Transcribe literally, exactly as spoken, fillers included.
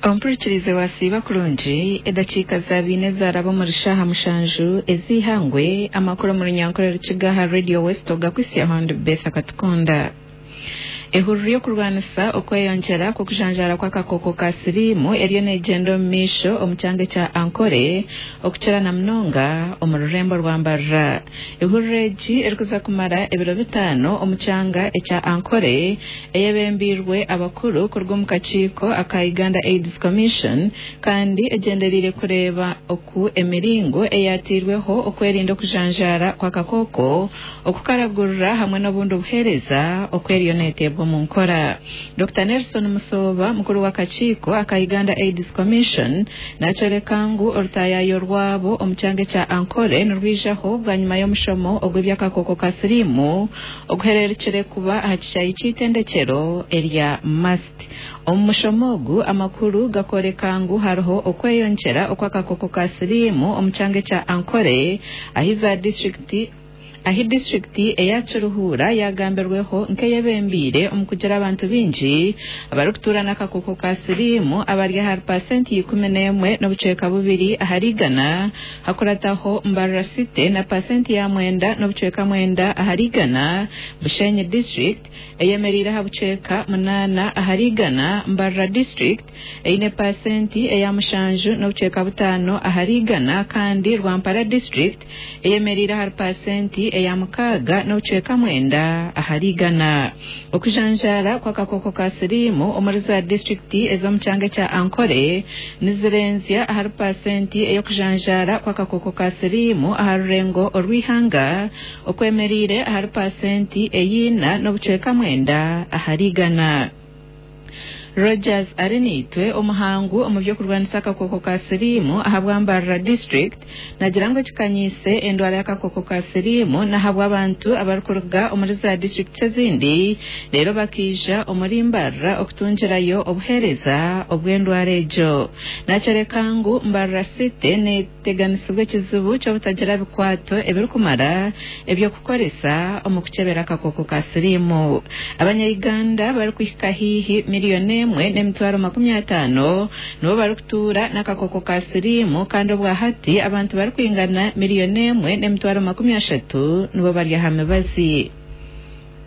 Ompurikirize wasiiba kurungi edakiika zabiine zaraba omuri shaaha mushanju ez'eihangwe amakuru omu runyankore rukiga aha Radio West ogakwitsya hondi Beth Akatukunda. Ehururu y'okurwanisa okweyongyera kw'okujanjaara kw'akakooko ka siriimu eriyo neegyenda omu maisho omu kyanga ekya Ankole okukira na munonga omu rurembo rwa Mbarara. Ehururu egi erikuza kumara ebiro bitaano omu kyanga ekya Ankole eyebembeirwe abakuru kuruga omu kakiiko aka Uganda AIDS Commission kandi egyendereire kureeba oku emiringo eyateirweho okwerinda okujanjaara kw'akakooko, okukaragurira hamwe n'obundi buheereza oku eriyo neeteebwa omu nkora. Dokita Nelson Musooba mukuru w'akakiiko aka Uganda AIDS Commission nakyoreka ngu orutayayo rwabo omu kyanga ekya Ankole nirwijaho bwanyima y'omushomo ogw'eby'akakooko ka siriimu oguhererukire kuba aha kishaayi ky'eitendekyero erya MUST. Omu mushomo ogu amakuru gakoreka ngu hariho okweyongyera okw'akakooko ka siriimu omu kyanga ekya Ankole ahi za disitulikiti ahi disitulikiti eya Kiruhura yagambirweho nk'eyebembeire omu kugira abantu baingi abarikutuura n'akakooko ka siriimu abari ahari pasenti ikumi n'emwe n'obucweka bubiri ahari igana, hakurataho Mbarara City na pasenti ya mwenda n'obucweka mwenda ahari igana, Bushenyi district eyemereire aha bucweka munaana ahari igana, Mbarara district eine pasenti eya mushanju n'obucweka butaano ahari igana kandi Rwampara district eyemereire ahari pasenti eya mukaaga n'obucweka mwenda ahari igana. Okujanjaara kw'akakooko ka siriimu omuri za disitulikiti ez'omu kyanga ekya Ankole nizirenzya ahari pasenti ey'okujanjaara kw'akakooko ka siriimu aha rurengo orw'eihanga okwemereire ahari pasenti eyina n'obucweka mwenda ahari igana. Rogers Arinaitwe omuhangu omu by'okurwanisa akakooko ka siriimu ahabwa Mbarara district nagira ngu ekikanyiise endwara y'akakooko ka siriimu n'ahabw'abantu abarikuruga omuri za disitulikiti ezindi reero bakaija omuri Mbarara okutungirayo obuheereza obw'endwara egyo. Nakyoreka ngu Mbarara City neteganisibwa ekizibu ky'obutagira bikwato ebirikumara eby'okukoresa omu kukyebera akakooko ka siriimu. Abanya-Uganda barikuhika haihi miliyoni emwe n'emitwaro makumi ataano nibo barikutuura n'akakooko ka siriimu kandi obwahati abantu barikwingana miliyoni emwe n'emitwaro makumi ashatu nibo bari aha mibazi.